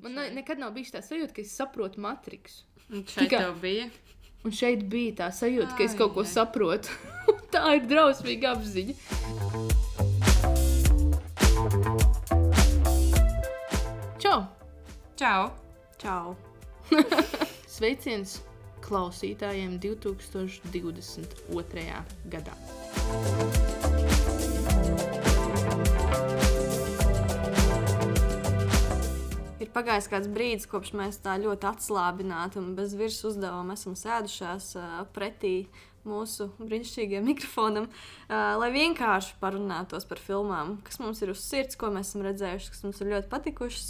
Man nekad nav bijis tā sajūta, ka es saprotu Matriksu. Un šeit tev bija? Un šeit bija tā sajūta, ka es kaut ko saprotu. Tā ir drausmīga apziņa. Čau! Čau! Čau! Sveiciens klausītājiem 2022. gadā. Ir pagājis kāds brīdis, kopš mēs tā ļoti atslābināti un bez virs uzdevuma esam sēdušās pretī mūsu brīnišķīgajam mikrofonam, lai vienkārši parunātos par filmām, kas mums ir uz sirds, ko mēs esam redzējuši, kas mums ir ļoti patikušas.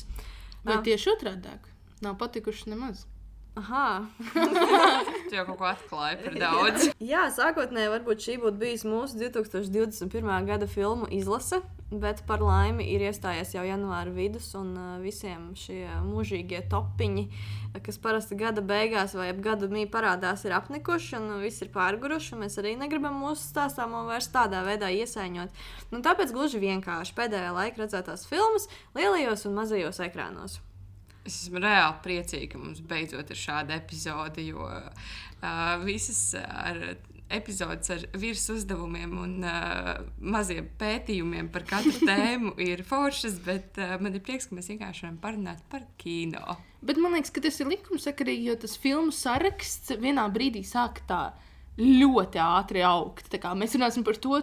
Vai tieši otrādāk? Nav patikušas nemaz. Aha. Tu jau kaut ko atklāji par daudz. Jā, sākotnēji varbūt šī būtu bijis mūsu 2021. gada filmu izlase, bet par laimi ir iestājies jau janvāra vidus un visiem šie mūžīgie topiņi, kas parasti gada beigās vai ap gadu mī parādās, ir apnikuši un viss ir pārguruši, un mēs arī negribam mūsu stāstāmo vairs tādā veidā iesaiņot. Nu, tāpēc gluži vienkārši pēdējā laika redzētās filmas lielajos un mazajos ekrānos. Es esmu reāli priecīga, ka mums beidzot ir šāda epizode, jo visas epizodes ar virs uzdevumiem un maziem pētījumiem par katru tēmu ir foršas, bet man ir prieks, ka mēs vienkārši varam parunāt par kino. Bet man liekas, ka tas ir likumsakarīgi, jo tas filmu saraksts vienā brīdī sāk tā ļoti ātri augt. Tā kā mēs runāsim par to,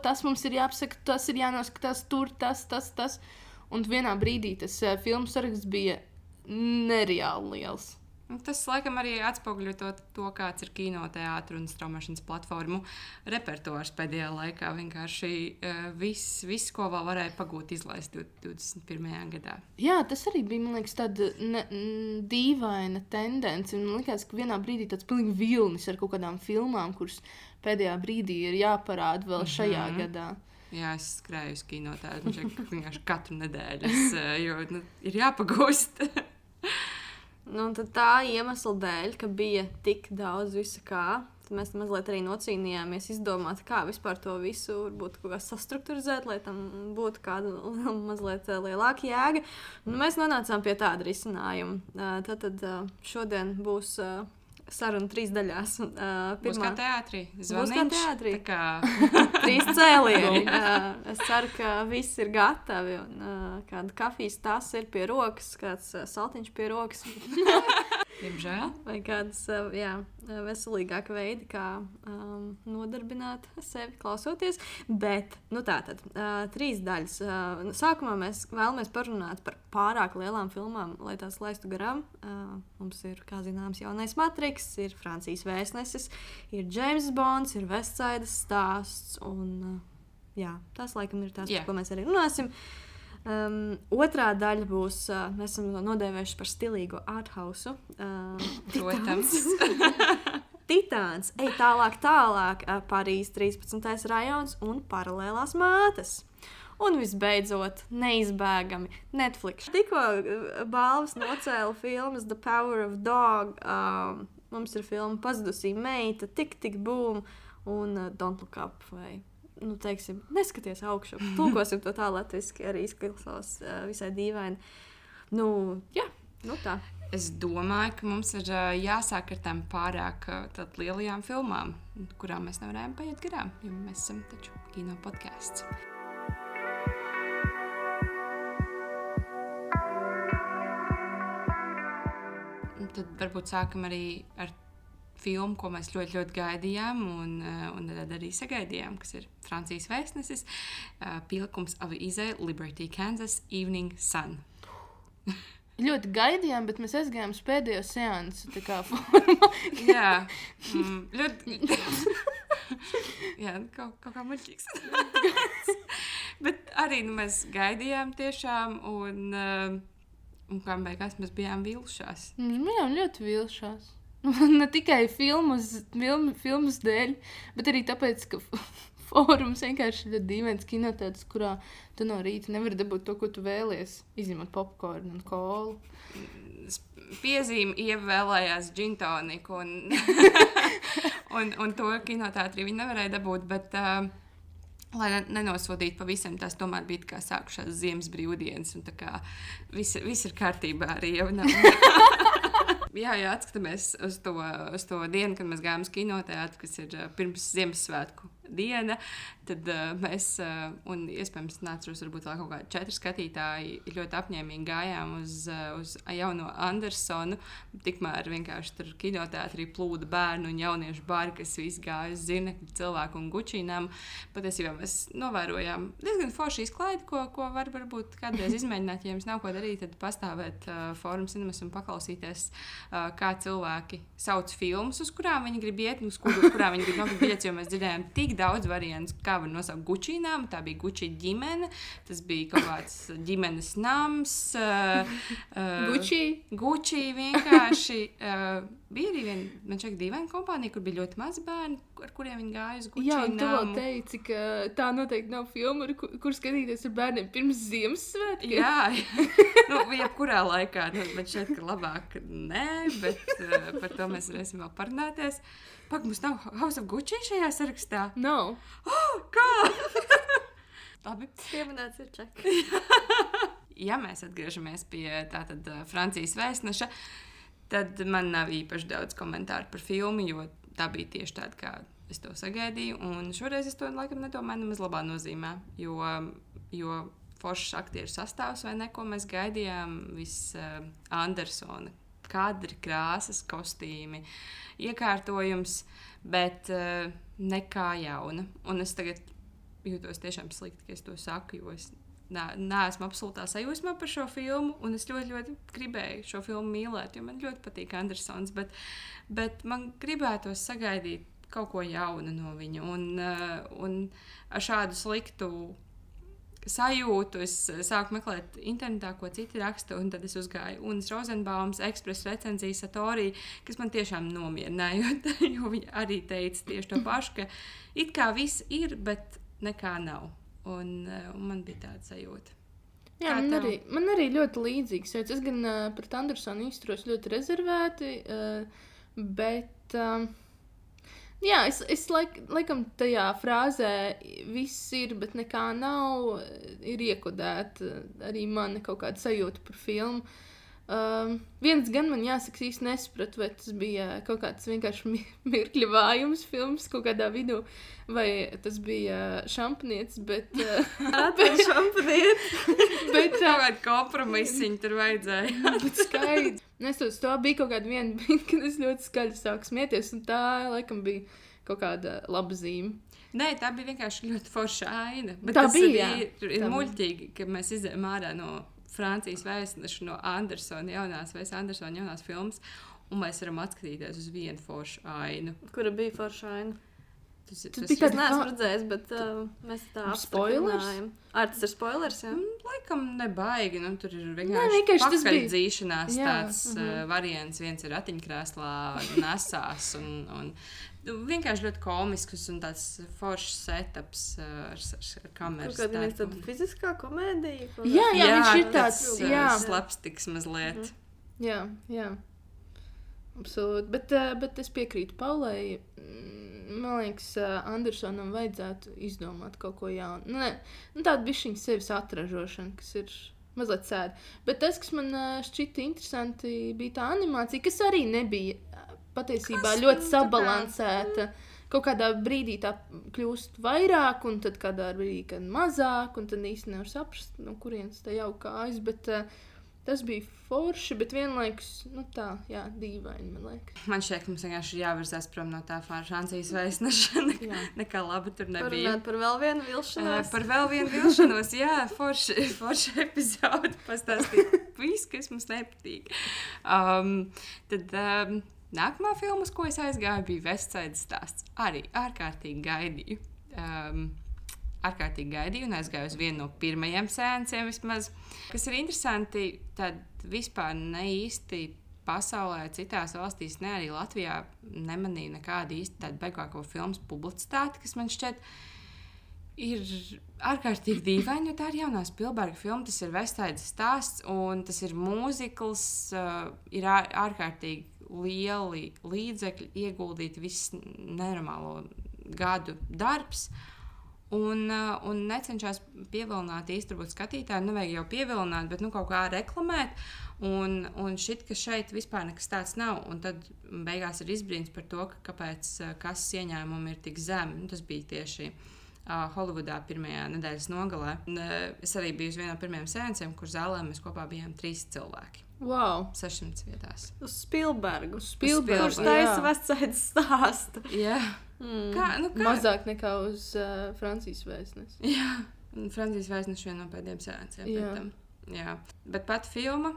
tas mums ir jāapsaka, tas ir jānoskatās tur, tas. Un vienā brīdī tas filmu saraksts bija nereāli liels. Tas, laikam, arī atspoguļo to, kāds ir kinoteātru un straumēšanas platformu repertuārs pēdējā laikā. Vienkārši viss, ko vēl varēja pagūt izlaist 21. gadā. Jā, tas arī bija, man liekas, tāda dīvaina tendence. Man liekas, ka vienā brīdī tāds pilnīgi vilnis ar kaut kādām filmām, kuras pēdējā brīdī ir jāparāda vēl šajā gadā. Jā, es skrēju uz kinoteātru vienkārši katru nedēļu, jo ir jāpagūst. Nu, tad tā iemesla dēļ, ka bija tik daudz visa kā, tad mēs mazliet arī nocīnījāmies izdomāt, kā vispār to visu varbūt kaut kā sastrukturizēt, lai tam būtu kāda mazliet lielāka jēga. Un mēs nonācām pie tāda risinājuma. Tad šodien būs saruna 3 daļās. Būs kā teātrī. Būs kā teātrī. Tā kā 3 cēlieni. Es ceru, ka viss ir gatavi. Kāda kafijas tas ir pie rokas, kāds saltiņš pie rokas. Diemžēl. Vai kādas veselīgāka veidi, kā nodarbināt sevi klausoties. Bet, tātad, 3 daļas. Sākumā mēs vēlamies parunāt par pārāk lielām filmām, lai tās laistu garām. Mums ir, kā zināms, jaunais Matriks, ir Francijas vēstnesis, ir James Bonds, ir Vestsaidas stāsts. Un, tās laikam ir tās, par ko mēs arī runāsim. Otrā daļa būs, mēs esam nodēvējuši par stilīgo arthausu. Protams. Titāns, ej tālāk, Parīzes 13. rajons un paralēlās mātes. Un visbeidzot, neizbēgami Netflix. Tikko balvas nocēla filmas The Power of Dog. Mums ir filma Pazudusī meita, Tik boom un Don't Look Up vai... teiksim, neskaties augšu. Tulkosim to tā latviski, arī izklausās visai dīvaini. Tā. Es domāju, ka mums ir jāsāk ar tām pārāk lielajām filmām, kurām mēs nevarējām paiet garām, jo mēs esam taču kino podcasts. Tad varbūt sākam arī ar filmu, ko mēs ļoti, ļoti gaidījām un tad arī sagaidījām, kas ir Francijas vēstnesis, pielikums avīzē Liberty, Kansas, Evening Sun. Ļoti gaidījām, bet mēs aizgājām uz pēdējo seansu, tā kā formā. Jā, ļoti... Jā, kaut kā muļķīgs. Bet arī mēs gaidījām tiešām un kā beigās mēs bijām vilšās. Mēs bijām ļoti vilšās. Ne tikai filmas dēļ, bet arī tāpēc, ka fórums vienkārši ir dīvains kinotētas, kurā tu no rīta nevari dabūt to, ko tu vēlies, izņemot popkornu un kolu. Piezīme ievēlējās džintoniku un to kinotētrī viņi nevarēja dabūt, bet lai nenosodītu pavisam, tās tomēr bija kā sākušās ziemas brīvdienas, un tā kā viss ir kārtībā arī jau nav. Jā, atskatāmies uz to dienu, kad mēs gājām uz kinoteātru, kas ir pirms Ziemassvētku diena, tad mēs, un iespējams neatceros, varbūt vēl kaut kādi 4 skatītāji ļoti apņēmīgi gājām uz jauno Andersonu. Tikmēr vienkārši tur kinoteātrī plūda bērnu un jauniešu bāri, kas visi gāja uz zirnekļu cilvēku un gučīnām. Patiesībā mēs novērojām diezgan foršu izklaidi, ko varbūt kādreiz izmēģināt. Ja jums nav ko darīt, tad pastāvēt Fórum Cinemas un paklausīties, kā cilvēki sauc filmas, uz kurām viņi grib iet, uz kurām viņi grib nopirkt biļetes, jo mēs dzirdējām tik daudz variantus, kā var nosaukt gučīnām. Tā bija Guči ģimene, tas bija kaut kāds ģimenes nams. Guči vienkārši. Bija arī man šeit dīvaina kompānija, kur bija ļoti maz bērni, ar kuriem viņi gāja uz Guči. Jā, un tu vēl teici, ka tā noteikti nav filma, kur skatīties ar bērniem pirms Ziemassvētkiem. Jā, jebkurā laikā. Bet šeit, ka labāk nē, bet par to mēs varēsim vēl parunāties. Pak, mums nav House of Gucci šajā sarakstā? Nav. Kā? Labi. Pieminēts ir ček. Ja mēs atgriežamies pie tātad Francijas vēstneša, tad man nav īpaši daudz komentāru par filmu, jo tā bija tieši tāda, kā es to sagaidīju. Un šoreiz es to laikam nedomāju nemaz labā nozīmē, jo foršs aktieru sastāvs vai neko mēs gaidījām, viss Andersona kadri, krāsas, kostīmi, iekārtojums, bet nekā jauna. Un es tagad jūtos tiešām slikti, ka es to saku, jo es neesmu absolūtā sajūsmā par šo filmu, un es ļoti, ļoti gribēju šo filmu mīlēt, jo man ļoti patīk Andersons, bet man gribētos sagaidīt kaut ko jaunu no viņa, un ar šādu sliktu sajūtu es sāku meklēt internetā, ko citi raksta, un tad es uzgāju Unas Rozenbaums ekspresa recenziju Satori, kas man tiešām nomierināja, jo viņa arī teica tieši to pašu, ka it kā viss ir, bet nekā nav. Un man bija tāda sajūta. Jā, man arī ļoti līdzīgs. Es gan pret Andersonu izturos ļoti rezervēti, bet... Jā, es laikam tajā frāzē viss ir, bet nekā nav, ir iekodēta arī mani kaut kāda sajūta par filmu. Viens gan man jāsaka, īsti nesapratu, vai tas bija kaut kāds vienkārši mirkļa vājums filmas kaut kādā vidū, vai tas bija šampanietis, bet... šampanietis! Bet kāda kompromisiņa tur vajadzēja. Bet skaidrs. Nesot to bija kaut kāda viena brīdi, kad es ļoti skaļi sāku smieties, un tā, laikam, bija kaut kāda laba zīme. Nē, tā bija vienkārši ļoti forša aina. Bet tā tas bija, ir muļķīgi, ka mēs izējām ārā no Francijas vēstneša, no Andersona jaunās filmas, un mēs varam atskatīties uz vienu foršu ainu. Kura bija forša aina? Tas neesmu redzējis, bet mēs tā apstiprinājām. Tas ir spoilers, jā? Laikam nebaigi, tur ir vienkārši pakaļdzīšanās tāds variants. Viens ir ratiņkrēslā nesās un vienkārši ļoti komisks un tāds foršs setups ar kameras. Kaut kāda tāda fiziskā komēdija? Jā, viņš ir tāds, slapstiks mazliet. Jā. Absolūti. Bet es piekrītu Paulai. Man liekas, Andersonam vajadzētu izdomāt kaut ko jaunu. Tāda bišķiņa sevis atražošana, kas ir mazliet sēda. Bet tas, kas man šķita interesanti, bija tā animācija, kas arī nebija patiesībā ļoti sabalansēta. Kaut kādā brīdī tā kļūst vairāk, un tad kādā brīdī kad mazāk, un tad īsti nevar saprast, no kurienes tā jau kājas, bet tas bija forši, bet vienlaikus, dīvaini, man liekas. Man šķiet, ka mums vienkārši jāvirzās prom no tā Francijas vēstneša. Nekā labi tur nebija. Par vēl vienu vilšanos. Par vēl vienu vilšanos, jā, forši epizodi pastāstīt visu, kas mums nepatīk. Tad nākamā filma, uz ko es aizgāju, bija West Side stāsts. Arī ārkārtīgi gaidīju. Un aizgāju uz vienu no pirmajiem seansiem vismaz. Kas ir interesanti, tad vispār ne īsti pasaulē, citās valstīs, ne arī Latvijā nemanīju nekādu īsti tādu baigāko filmas publicitāti, kas man šķiet ir ārkārtīgi dīvaini, jo tā ir jaunā Spielberga filma, tas ir West Side stāsts, un tas ir mūzikls, ir ārkārtīgi lieli līdzekļi ieguldīti viss nenormālo gadu darbs. Un necenšas pievilināt īstenībā skatītāju, nevajag jau pievilināt, bet kaut kā reklamēt. Un šit, ka šeit vispār nekas tāds nav. Un tad beigās ir izbrīns par to, kāpēc kases ieņēmumi ir tik zemi. Tas bija tieši Holivudā pirmajā nedēļas nogalē. Es arī biju uz vienā no pirmajām seansiem, kur zālē mēs kopā bijām 3 cilvēki. Wow. 600 vietās. Uz Spielbergu. Spielbergu, Kurš taisa Vestsaidas stāstu. Jā. Kā? Mazāk nekā uz Francijas vēstnesi. Jā, Francijas vēstneši viena no pēdējiem sēnciem. Jā. Bet pat filma,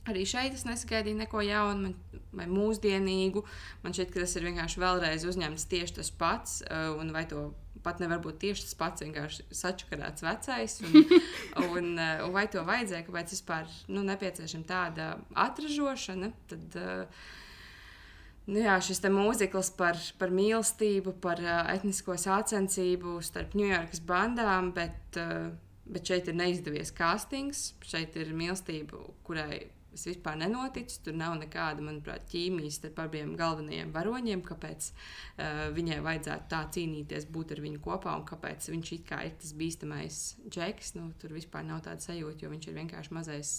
arī šeit es nesagaidīju neko jaunu vai mūsdienīgu. Man šķiet, ka tas ir vienkārši vēlreiz uzņemts tieši tas pats, un vai to pat nevar būt tieši tas pats, vienkārši sačakarāts vecais, un vai to vajadzēja, kāpēc vispār nepieciešama tāda atražošana, tad... Jā, šis te mūzikls par mīlestību, par etnisko sacensību starp Ņujorkas bandām, bet šeit ir neizdevies castings, šeit ir mīlestība, kurai es vispār nenoticu, tur nav nekāda, manuprāt, ķīmijas starp abiem galvenajiem varoņiem, kāpēc viņai vajadzētu tā cīnīties, būt ar viņu kopā, un kāpēc viņš it kā ir tas bīstamais Džeks, tur vispār nav tāda sajūta, jo viņš ir vienkārši mazais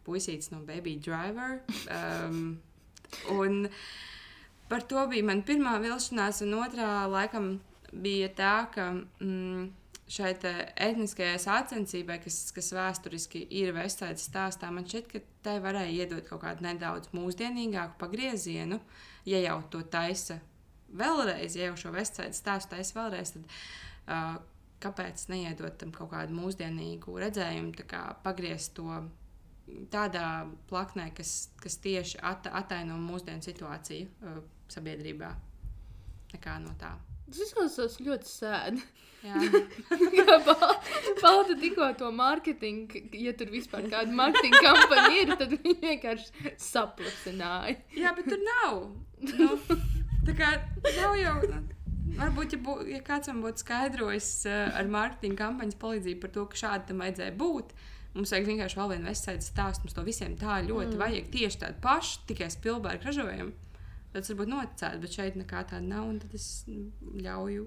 puisītis no Baby Driver. Un par to bija mana pirmā vilšanās, un otrā laikam bija tā, ka šai etniskajai sacensībai, kas vēsturiski ir Vestsaidas stāstā, man šķiet, ka tai varēja iedot kaut kādu nedaudz mūsdienīgāku pagriezienu, ja jau to taisa vēlreiz, ja jau šo Vestsaidas stāstu taisa vēlreiz, tad kāpēc neiedot tam kaut kādu mūsdienīgu redzējumu, tā kā pagriezt to tādā plaknē, kas tieši ataino mūsdienu situāciju sabiedrībā. Nekā no tā. Tas izklausās ļoti sēdi. Jā. Palta tikko to mārketingu, ja tur vispār kāda mārketinga kampaņa ir, tad viņi vienkārši saplasināja. Jā, bet tur nav. Tā kā nav jau... Varbūt, ja kāds man būtu skaidrojis ar mārketinga kampaņas palīdzību par to, ka šādi tam vajadzēja būt, mums vajag vienkārši vēl vienu Vestsaidas stāstu, mums to visiem tā ļoti vajag tieši tādu pašu, tikai Spielberga ražojumu. Tad tas varbūt noticētu, bet šeit nekā tāda nav, un tad es ļauju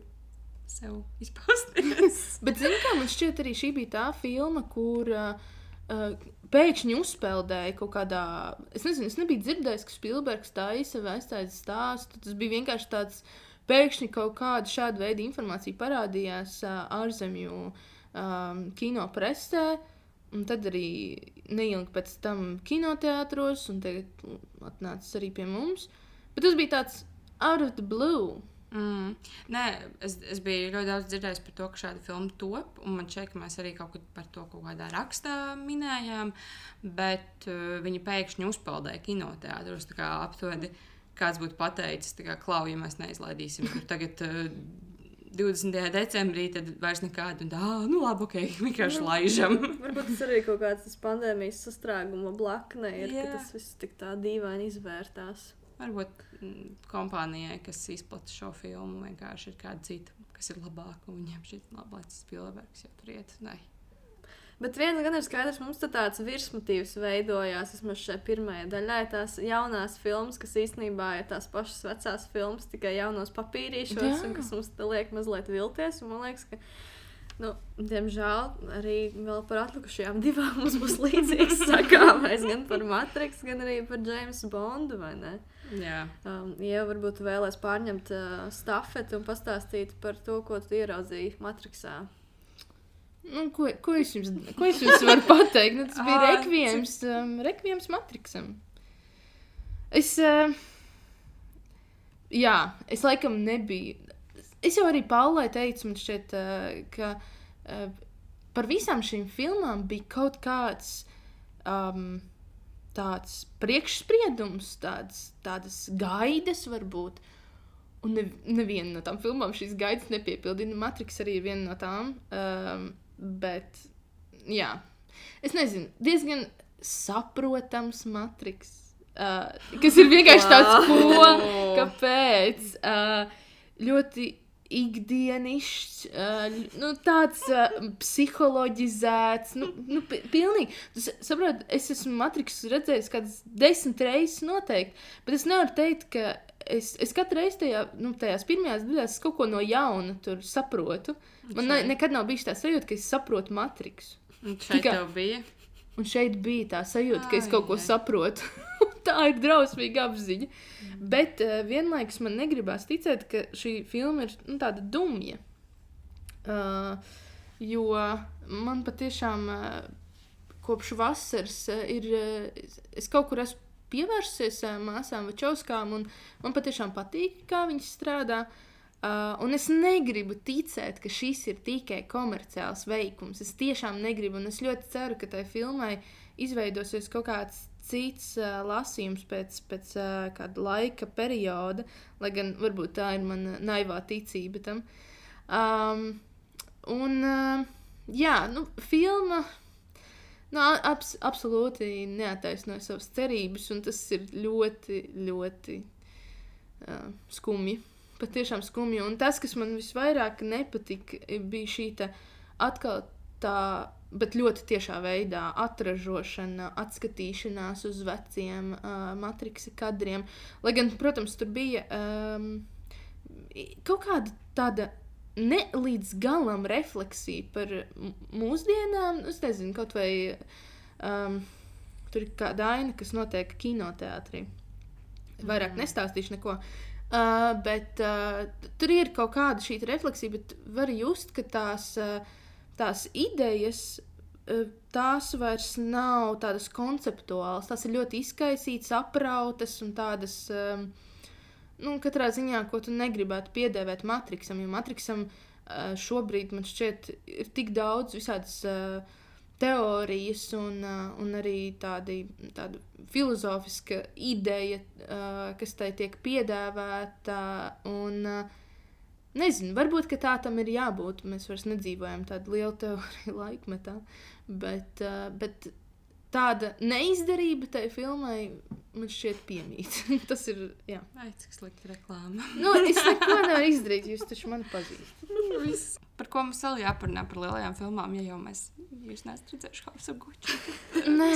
sev izpausties. Bet zini kā, man šķiet arī šī bija tā filma, kur pēkšņi uzpeldēja kaut kādā... Es nezinu, es nebiju dzirdējis, ka Spielbergs taisa Vestsaidas stāstu. Tas bija vienkārši tāds... Pēkšņi kaut kāda šāda veida informācija parādījās ārzemju kino presē, un tad arī neilgi pēc tam kinoteātros, un tagad atnācis arī pie mums. Bet tas bija tāds out of the blue. Nē, es biju ļoti daudz dzirdējis par to, ka šāda filma top, un man šķiet, ka mēs arī kaut kādā rakstā minējām, bet viņi pēkšņi uzpeldēja kinoteātros, tā kā aptuveni kāds būtu pateicis, tā kā klau, ja mēs neizlaidīsim tur tagad 20. decembrī, tad vairs nekādu, un labi, ok, vienkārši laižam. Varbūt tas arī kaut kāds tas pandēmijas sastrēguma blakne ir, Jā. ka tas viss tik tā dīvaini izvērtās. Varbūt kompānijai, kas izplata šo filmu, vienkārši ir kāda cita, kas ir labāka, un viņiem šķiet labi, lai tas Spielbergs jau tur iet. Nē. Bet viens gan ir skaidrs, mums tāds virsmotīvs veidojās, vismaz šajā pirmajā daļā, tās jaunās filmas, kas īstenībā ir tās pašas vecās filmas, tikai jaunos papīrīšos, un kas mums liek mazliet vilties, un man liekas, ka, diemžēl, arī vēl par atlikušajām divām mums būs līdzīgs sakāmais, gan par Matrix, gan arī par James Bondu, vai ne? Jā. Ja varbūt vēlēs pārņemt stafeti un pastāstīt par to, ko tu ieraudzīji Matrixā. Ko es jums varu pateikt? Tas bija rekviems Matrixam. Es laikam nebiju. Es jau arī Paulai teicu, man šķiet, ka par visām šīm filmām bija kaut kāds tāds priekšspriedums, tādas gaidas varbūt. Un neviena no tām filmām šīs gaidas nepiepildīja. Matrix arī ir viena no tām. Bet, jā, es nezinu, diezgan saprotams Matrix, kas ir vienkārši tāds, kāpēc, ļoti ikdienišķs, tāds psiholoģizēts, pilnīgi. Tu saproti, es esmu Matrixu redzējis kādas 10 reizes noteikti, bet es nevaru teikt, ka es katru reizi tajās pirmajās daļās kaut ko no jauna tur saprotu. Man nekad nav bijis tā sajūta, ka es saprotu Matrixu. Un šeit tev bija? Un šeit bija tā sajūta, ka es kaut ko saprotu. Tā ir drausmīga apziņa. Bet vienlaikus man negribās ticēt, ka šī filma ir tāda dumja. Jo man patiešām kopš vasaras es kaut kur esmu pievērsies māsām Vačovskām, un man patiešām patīk, kā viņas strādā. Un es negribu ticēt, ka šis ir tikai komerciāls veikums. Es tiešām negribu, un es ļoti ceru, ka tai filmai izveidosies kaut kāds cits lasījums pēc kāda laika perioda, lai gan varbūt tā ir mana naivā ticība tam. Filma absolūti neattaisnoja savas cerības, un tas ir ļoti, ļoti skumji. Patiešām skumji. Un tas, kas man visvairāk nepatika, bija šī atkal tā, bet ļoti tiešā veidā atražošana, atskatīšanās uz veciem Matrixa kadriem. Lai gan, protams, tur bija kaut kāda tāda ne līdz galam refleksija par mūsdienām. Es nezinu, kaut vai tur ir kāda aina, kas notiek kinoteātrī. Vairāk nestāstīšu neko. Bet tur ir kaut kāda šī refleksija, bet var just, ka tās idejas, tās vairs nav tādas konceptuālas, tās ir ļoti izkaisītas, aprautas un tādas, katrā ziņā, ko tu negribētu piedēvēt Matrixam, jo Matrixam šobrīd, man šķiet, ir tik daudz visādas teorijas un arī tāda filozofiska ideja, kas tai tiek piedāvāta, un nezinu, varbūt, ka tā tam ir jābūt, mēs vairs nedzīvojam tādu lielu teoriju laikmetā, bet tāda neizdarība tai filmai man šķiet piemīt. Tas ir, jā. Ai, cik slikta reklāma. Es neko nevaru izdarīt, jūs taču mani pazīstat. Par ko mums vēl jāparunā par lielajām filmām, ja jau jūs neesat redzējuši House of Gucci? Nē,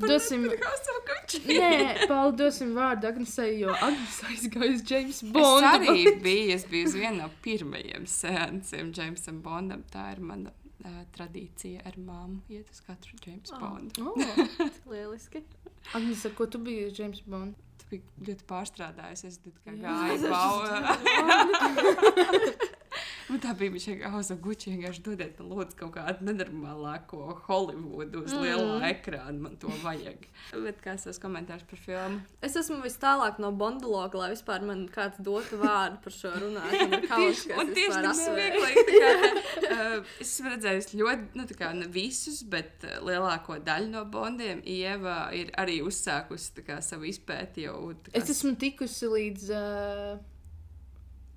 dosim... House of Gucci. Nē, Pauli, dosim vārdu Agnesei, jo Agnes aizgāja uz James Bondu. Es arī biju uz vienu no pirmajiem seansiem Jamesam Bondam. Tā ir mana tradīcija ar māmu iet uz katru James Bondu. Lieliski. Agnes, ar ko tu biji uz James Bondu? Tu biji ļoti pārstrādājusies, es gāju baudu. Un tā bija viņa House of Gucci, vienkārši dodiet man lūdzu kaut kādu nenormālāko Hollywoodu uz lielā ekrāna, man to vajag. Bet kāds tavs komentārs par filmu? Es esmu vis tālāk no Bondologa, lai vispār man kāds dotu vārdu par šo runāt. Un tieši tas vieglāk. Es esmu redzējusi ļoti, ne visus, bet lielāko daļu no Bondiem. Ieva ir arī uzsākusi savu izpēti jau. Es esmu tikusi līdz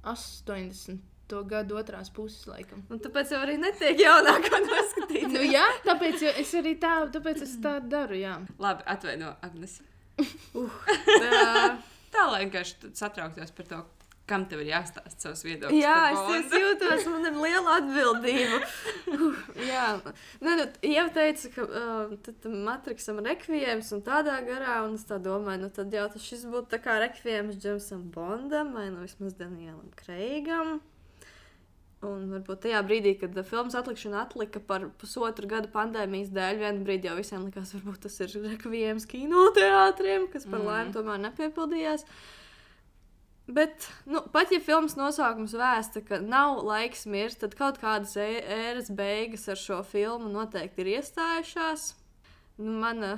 80. gadu otrās puses, laikam. Un tāpēc jau arī netiek jaunākā noskatīt. Jā, tāpēc es arī tā daru, jā. Labi, atvaino, Agnes. Tā, lai vienkārši satrauktos par to, kam tev ir jāstāst savus viedokļus. Jā, es jūtos, man ir liela atbildība. Jā. Ieva teica, ka Matrixam rekviems un tādā garā, un es tā domāju, tad jau šis būtu tā kā rekviems Jamesam Bondam, vai vismaz Danielam Kreigam. Un varbūt tajā brīdī, kad filmas atlikšana atlika par pusotru gadu pandēmijas dēļ, vienu brīdi jau visiem likās, varbūt tas ir rekviems kinoteātriem, kas par laimi tomēr nepiepildījās. Bet, pat ja filmas nosaukums vēsta, ka nav laiks mirst, tad kaut kādas ēras beigas ar šo filmu noteikti ir iestājušās. Mana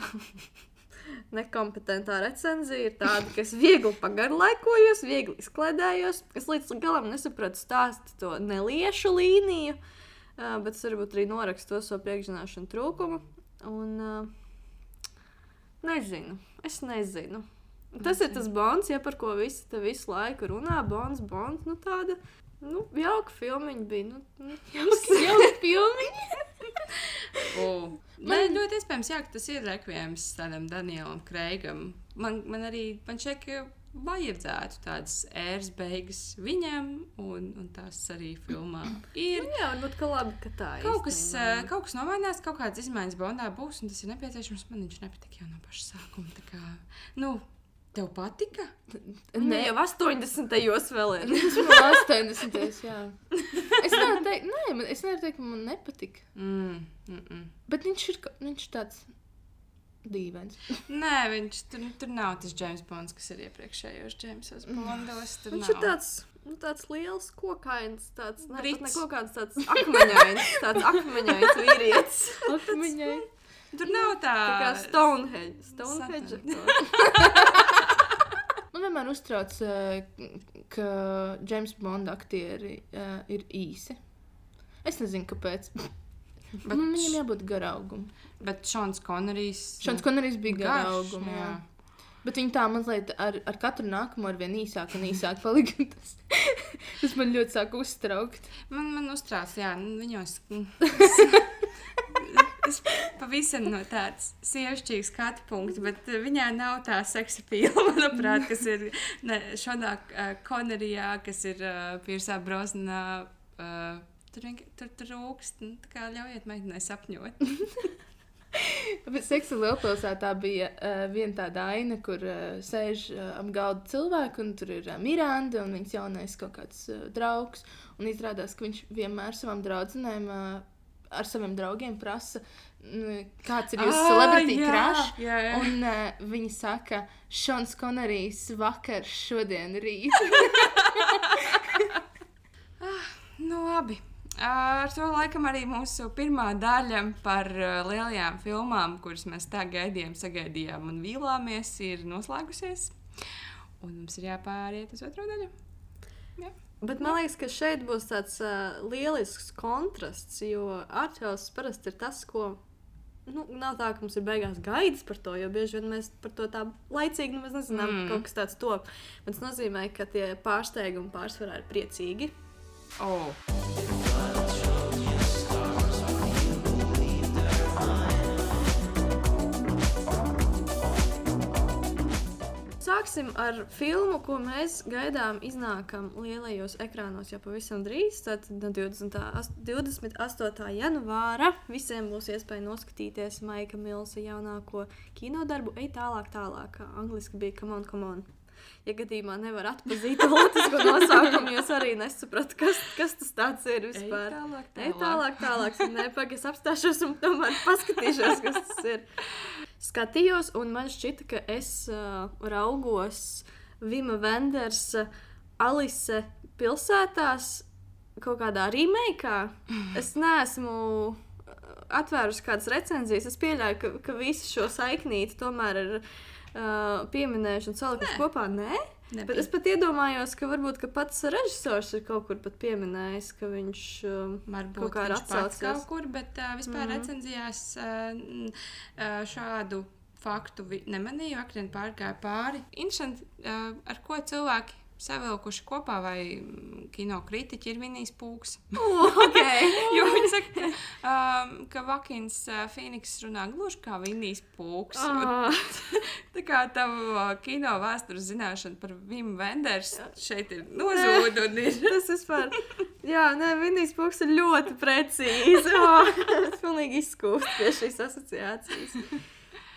nekompetentā recenzija ir tāda, ka es viegli pagarlaikojos, viegli izklaidējos. Es līdz galam nesapratu stāstu to neliešu līniju, bet es varbūt arī norakstu to savu priekšzināšanu trūkumu. Un es nezinu. Tas ir tas Bonds, par ko visi te visu laiku runā. Bonds, tāda, jauka filmiņa bija. Jauka filmiņa? Man ļoti iespējams, ka tas ir rekviems tādam Danielam Kreigam. Man šķiet, ka vajadzētu tādas ēras beigas viņam, un tās arī filmā ir. Jā, varbūt, ka labi, ka tā Kaut kas nomainās, kaut kādas izmaiņas Bondā būs, un tas ir nepieciešams. Man viņš nepatika jau no paša sākuma. Tā kā, tev patika? Ne, jau 80. vēl ir. Tas man 80. jā. Es nevaru teikt, ka man nepatika. Bet viņš tāds dīvains. Nē, viņš tur nav tas James Bonds, kas ir iepriekšējos Jamesos Bondos. Viņš ir tāds liels kokains, tāds nekokāds tāds akmeņains vīrietis. Akmeņains. Tur nav tā kā Stonehenge. Man vienmēr uztrauc, ka James Bond aktieri ir īsi. Es nezinu, kāpēc. Viņam jābūt garaugum. Bet Šons Konerijs bija garaugum, jā. Bet viņi tā mazliet ar katru nākamo ar vien īsāk un īsāk palika. Tas man ļoti sāk uztraukt. Man uztrauc, jā, viņos... Es pavisam no tāds sievišķīgs skatu punkts, bet viņā nav tā seksa pīla, manuprāt, kas ir Šonā Konerijā, kas ir Piersā Brosnanā. Tur rūkst, tā kā ļaujiet meitenei sapņot. Bet Seksa lielpilsētā bija viena tāda aina, kur sēž ap galda cilvēku, un tur ir Miranda un viņas jaunais kaut kāds draugs. Un izrādās, ka viņš vienmēr savām draudzenēm ar saviem draugiem prasa, kāds ir jūsu celebrity crush. Jā. Un viņi saka, Šons Konerijs vakar, šodien, rīt. Labi. Ar to laikam arī mūsu pirmā daļa par lielajām filmām, kuras mēs tā sagaidījām un vīlāmies, ir noslēgusies. Un mums ir jāpāriet uz otro daļu. Jā. Bet man liekas, ka šeit būs tāds lielisks kontrasts, jo arthouse parasti ir tas, ko... nav tā, ka mums ir beigās gaidas par to, jo bieži vien mēs par to tā laicīgi mēs nezinām, kaut kas tāds top. Bet tas nozīmē, ka tie pārsteigumi pārsvarā ir priecīgi. Sāksim ar filmu, ko mēs gaidām iznākam lielajos ekrānos jau pavisam drīz. Tad 28. janvāra visiem būs iespēja noskatīties Maika Millsa jaunāko kinodarbu Ej tālāk, tālāk. Angliski bija Come on, come on. Ja gadījumā nevar atpazīt politisko nosaukumu, jūs arī nesaprat, kas tas tāds ir vispār. Ej tālāk. Nepag, es apstāšos un tomēr paskatīšos, kas tas ir. Skatījos, un man šķita, ka es raugos Vima Vendersa Alice pilsētās kaut kādā remakeā. Es neesmu atvērusi kādas recenzijas. Es pieļauju, ka visi šo saiknīti tomēr ir pieminējuši un salikuši kopā. Nē? Bet es pat iedomājos, ka varbūt ka pats režisors ir kaut kur pat pieminējis, ka viņš kaut kā ir atsaucies. Kaut kur, bet vispār recenzijās šādu faktu nemanīju, akrien pārgāja pāri. Interesanti, ar ko cilvēki savilkuši kopā, vai kino kritiķi ir Vinijs Pūks. Okay. Jo viņi saka, ka Vakins Fīniks runā gluži kā Vinijs Pūks. Tā kā tavu kino vēstures zināšana par Vimu Venders šeit ir nozūd un ir. Tas vispār, Vinijs Pūks ir ļoti precīzi. Es pilnīgi izskūst pie šīs asociācijas.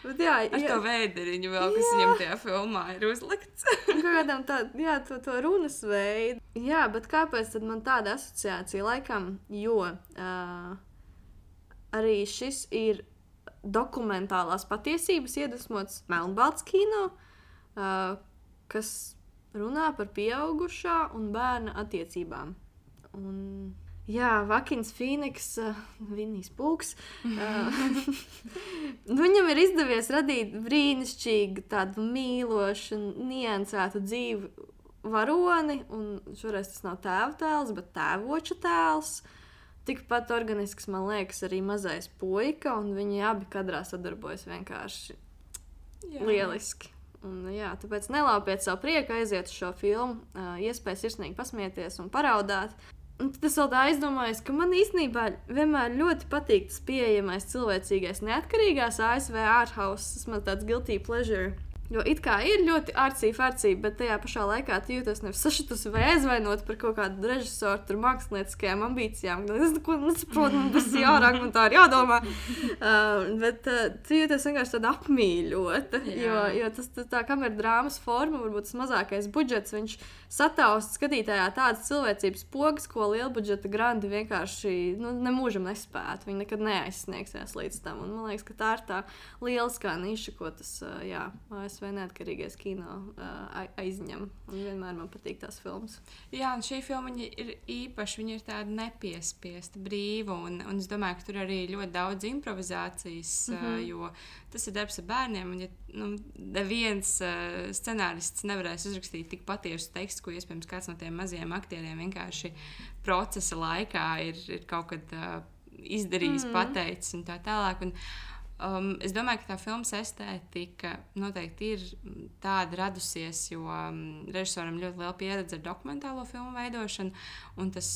Bet ar to vēderiņu vēl, kas viņam tajā filmā ir uzlikts. Kādām to runas veidu. Jā, bet kāpēc tad man tāda asociācija laikam? Jo arī šis ir dokumentālās patiesības iedvesmots melnbalts kino, kas runā par pieaugušā un bērna attiecībām. Un... Vakins Fīniks, Vinijs Pūks. Viņam ir izdevies radīt brīnišķīgu, tādu mīlošu, niansētu dzīvi varoni, un šoreiz tas nav tēva tēls, bet tēvoča tēls. Tikpat organisks, man liekas, arī mazais puika, un viņi abi kadrā sadarbojas vienkārši lieliski. Un, tāpēc nelaupiet savu prieku, aiziet uz šo filmu, iespēja sirsnīgi pasmieties un paraudāt. Un tad es vēl tā aizdomājos, ka man īstenībā vienmēr ļoti patīk tas pieejamais cilvēcīgais neatkarīgās ASV arthouse. Tas man tāds guilty pleasure. Jo it kā ir ļoti arcīgi, bet tajā pašā laikā tu jūties nevis sašutusi vai aizvainot par kaut kādu režisoru tur mākslinieckajām ambīcijām. Es neko nesaprotu, man tas ir jārāk, man tā ir jādomā. Bet tu jūties vienkārši tāda apmīļota, jo tas tā kamera drāmas forma, varbūt tas mazākais budžets, viņš sataust skatītājā tādas cilvēcības pogas, ko lielbudžeta grandi vienkārši nemūžam nespētu. Viņi nekad neaizsniegsies līdz tam. Un man liekas, ka tā ir tā lieliskā niša, ko tas, ASV neatkarīgais kino aizņem. Un vienmēr man patīk tās filmas. Jā, un šī filma ir īpaši, viņa ir tāda nepiespiesta, brīva, un es domāju, ka tur arī ļoti daudz improvizācijas, jo tas ir darbs ar bērniem, un ja neviens scenārists nevarēs uzrakstīt tik patiesu tekstu, ko iespējams kāds no tiem mazajiem aktieriem vienkārši procesa laikā ir kaut kad izdarījis, pateicis un tā tālāk. Un, es domāju, ka tā filmas estētika noteikti ir tāda radusies, jo režisoram ļoti liela pieredze ar dokumentālo filmu veidošanu, un tas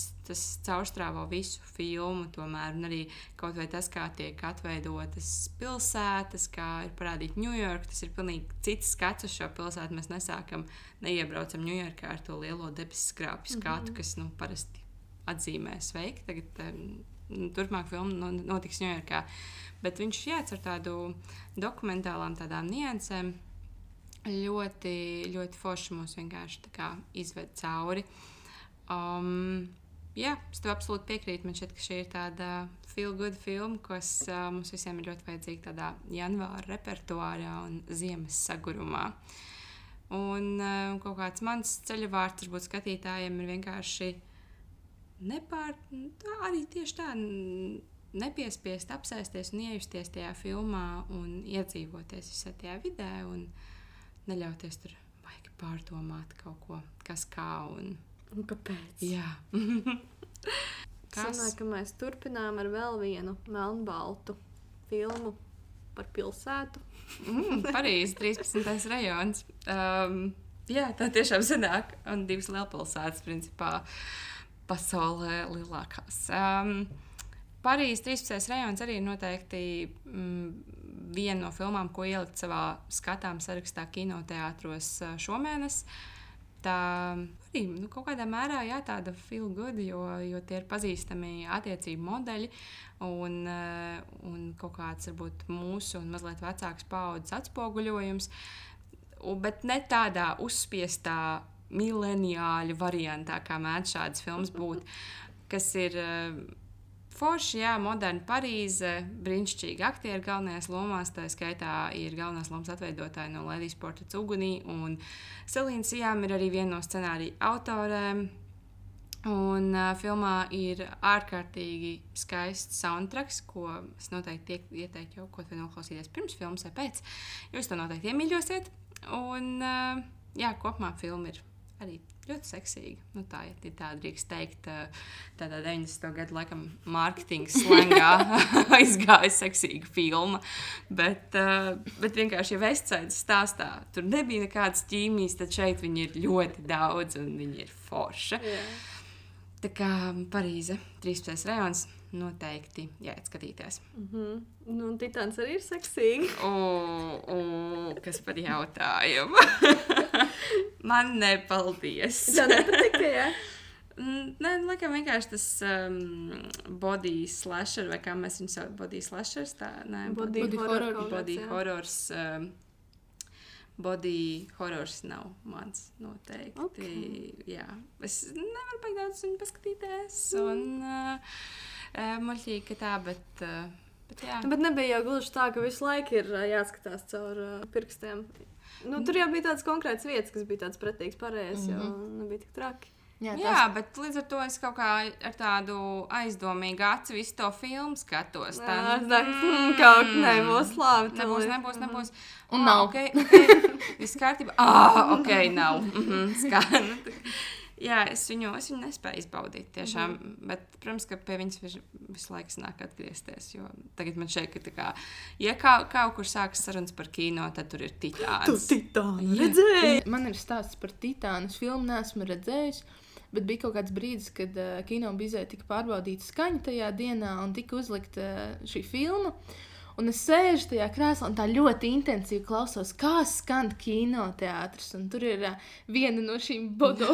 caurstrāvo visu filmu tomēr, un arī kaut vai tas, kā tiek atveidotas pilsētas, kā ir parādīta Ņujorka, tas ir pilnīgi cits skats uz šo pilsētu. Mēs neiebraucam Ņujorkā ar to lielo debesu skrāpju skatu, kas parasti atzīmē sveiki. Tagad turpmāk filma notiks Ņujorkā. Bet viņš ar tādu dokumentālām tādām niansēm ļoti, ļoti forši mūs vienkārši tā kā izved cauri. Es tev absolūti piekrītu. Man šķiet, ka šī ir tāda feel-good filma, kas mums visiem ir ļoti vajadzīga tādā janvāra repertuārā un ziemas sagurumā. Un kaut kāds mans ceļavārds varbūt skatītājiem ir vienkārši arī tieši tā nepiespiest apsēsties un iejusties tajā filmā un iedzīvoties visā tajā vidē un neļauties tur baigi pārdomāt kaut ko, kas kā un kāpēc. Jā. Sanāk, ka mēs turpinām ar vēl vienu melnbaltu filmu par pilsētu. Parīze, 13. rajons. Tā tiešām sanāk. Un 2 lielpilsētas, principā, pasaulē lielākās. Parīze, 13. rajons arī noteikti viena no filmām, ko ielikt savā skatām sarakstā kinoteātros šomēnes. Tā arī kaut kādā mērā tāda feel good, jo tie ir pazīstami attiecību modeļi un kaut kāds varbūt mūsu un mazliet vecāks paaudzes atspoguļojums, bet ne tādā uzspiestā mileniāļu variantā, kā mēdz šādas filmas būt, kas ir forši, moderna Parīze, brīnišķīgi aktieri galvenajās lomās, tā skaitā ir galvenās lomas atveidotāji no Lēdijas portrets ugunī, un Selīna Sijām ir arī viena no scenārija autorēm, un filmā ir ārkārtīgi skaists soundtracks, ko es noteikti ieteiktu jau kaut vai noklausīties pirms filmas vai pēc, jo jūs to noteikti iemīļosiet, un kopumā filma ir arī ļoti seksīga. Tā ir tāda, drīkst teikt, tādā 90. gadu laikam mārketinga slengā aizgāja seksīga filma. Bet vienkārši, ja Vestsaidas stāstā tur nebija nekādas ķīmijas, tad šeit viņi ir ļoti daudz un viņi ir forša. Tā kā Parīze, 13. rajons, noteikti jāiet skatīties. Un Titāns arī ir seksīgi. Kas par jautājumu? Man nepaldies. Tā nepatika, jā? Nē, laikam vienkārši tas body slasher, vai kā mēs viņu sauc, body slashers, tā? Nē, Body horrors. Body horrors nav mans noteikti. Okay. Jā. Es nevaru baigt daudz viņu paskatīties. Un muļķīgi, ka tā, bet jā. Bet nebija jau gluži tā, ka visu laiku ir jāskatās caur pirkstiem. Tur jau bija tādas konkrētas vietas, kas bija tāds pretīgs pareizs, jo nebija tik traki. Jā, bet līdz ar to es kaut kā ar tādu aizdomīgu aci visu to filmu skatos. Kaut nebūs labi. Nebūs. Un nav. Okay. Viss kārtībā. Nav. Jā, es viņu nespēju izbaudīt tiešām, bet, protams, ka pie viņas visu laiku nāk atgriezties, jo tagad man šeit, ka tā kā, ja kaut kur sākas sarunas par kino, tad tur ir Titāns. Tu Titānu redzēji? Man ir stāsts par Titānu, es filmu neesmu redzējis, bet bija kaut kāds brīdis, kad kino bizē tika pārbaudīta skaņa tajā dienā un tika uzlikta šī filma. Un es sēžu tajā krēslā un tā ļoti intensīvi klausos, kā skan kinoteātris. Un tur ir viena no šīm body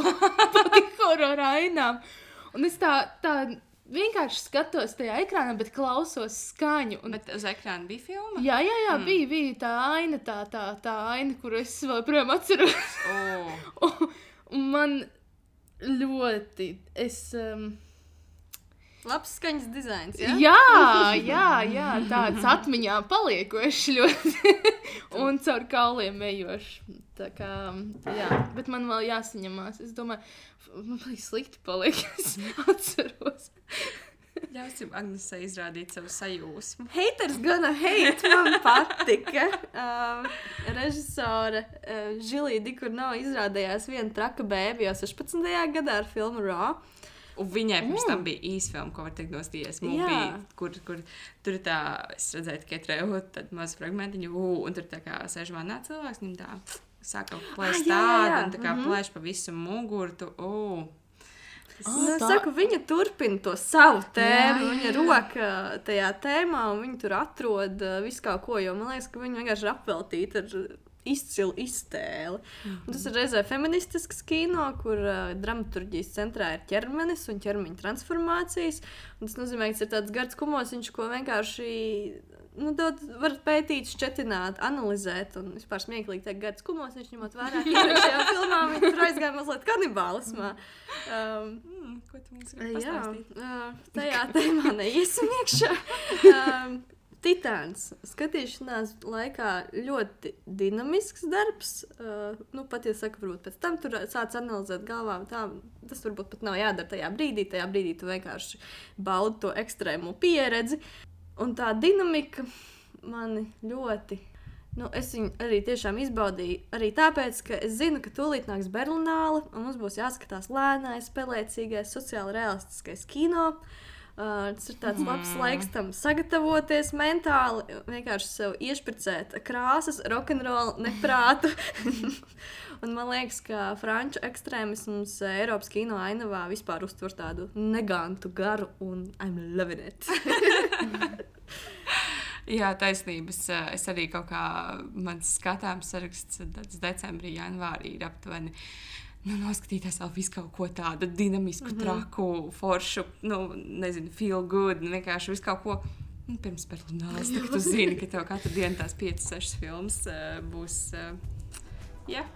horror ainām. Un es tā vienkārši skatos tajā ekrānā, bet klausos skaņu. Un... Bet uz ekrāna bija filma? Jā, bija tā aina, tā aina, kuru es vēl projām atceros. Un man ļoti... Labs skaņas dizains, jā? Jā, tāds atmiņā paliekošs ļoti. Un caur kauliem ejošs. Tā kā, jā, bet man vēl jāsaņemās. Es domāju, man bija slikti paliek, es atceros. Ļausim Agnesei izrādīt savu sajūsmu. Haters gonna hate, man patika. Režisore Žilija Dikurno izrādījās viena traka bēbi jau 16. gadā ar filmu Raw. Un viņai pirms tam bija īsfilma, ko var teikt no Stiesmu, kur tur tā, es redzēju tikai traileru, tad maz fragmentiņu, un tur tā kā sēž manā cilvēks, viņam tā sāka plēst tādu, un tā kā plēš pa visu mugurtu, saku, viņa turpina to savu tēmu, viņa roka tajā tēmā, un viņa tur atrod visu kaut ko, jo man liekas, ka viņa vienkārši ir apveltīta ar izcilu iztēli. Un tas ir reizē feministisks kino, kur dramaturģijas centrā ir ķermenis un ķermeņa transformācijas. Un tas nozīmē, ka tas ir tāds gards kumosiņš, ko vienkārši var pētīt, šķetināt, analizēt. Un vispār smieklīgi teikt gards kumosiņš, ņemot vērā, ka iepriekšējā filmā viņi tur aizgāja mazliet kanibālismā. Ko tu mums grib pastāstīt? Tajā tēmā neiesim iekšā. Titāns. Skatīšanās laikā ļoti dinamisks darbs. Pat, ja saka, varbūt pēc tam tur sāc analizēt galvā, tas varbūt pat nav jādara tajā brīdī. Tajā brīdī tu vienkārši baudi to ekstrēmu pieredzi. Un tā dinamika mani ļoti... es viņu arī tiešām izbaudīju. Arī tāpēc, ka es zinu, ka tūlīt nāks Berlināle, un mums būs jāskatās lēnais, spēlēcīgais, sociāli realistiskais kino. Tas ir tāds labs laiks tam sagatavoties mentāli, vienkārši sev iešpricēt krāsas, rokenrolu, neprātu. Un man liekas, ka franču ekstrēmisms Eiropas kino ainavā vispār uztver tādu negantu garu, un I'm loving it. Jā, taisnības. Es arī kaut kā, mans skatāms saraksts decembrī, janvārī ir aptuveni. Noskatīties vēl visu kaut ko tādu dinamisku, traku, foršu, nezinu, feel good, vienkārši visu kaut ko. Pirms Berlināles, tad tu zini, ka tev katru dienu tās 5-6 filmas būs, jā.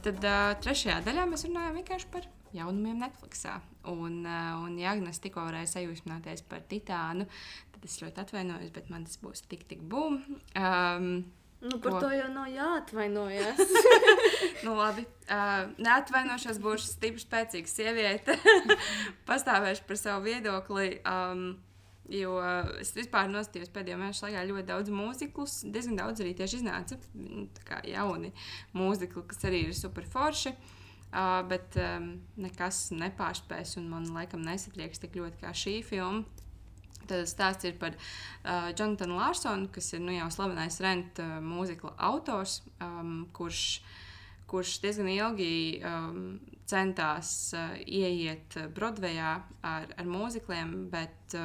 Tad trešajā daļā mēs runājam vienkārši par jaunumiem Netflixā. Un ja Agnes tikko varēja sajūsmināties par Titānu, tad es ļoti atvainojos, bet man tas būs tik bum. Par to jau nav jāatvainojas. Labi. Neatvainošos, būšu stipri spēcīga sieviete. Pastāvēšu par savu viedokli. Jo es vispār nostījos pēdējo mēnešu laikā ļoti daudz mūziklus. Diezgan daudz arī tieši iznāca. Tā kā jauni mūzikli, kas arī ir super forši. Bet nekas nepārspēs un man laikam nesatrieks tik ļoti kā šī filma. Tad stāsts ir par Jonathanu Larsonu, kas ir jau slavenais Rent mūzikla autors, kurš diezgan ilgi centās ieiet Broadwayā ar mūzikliem, bet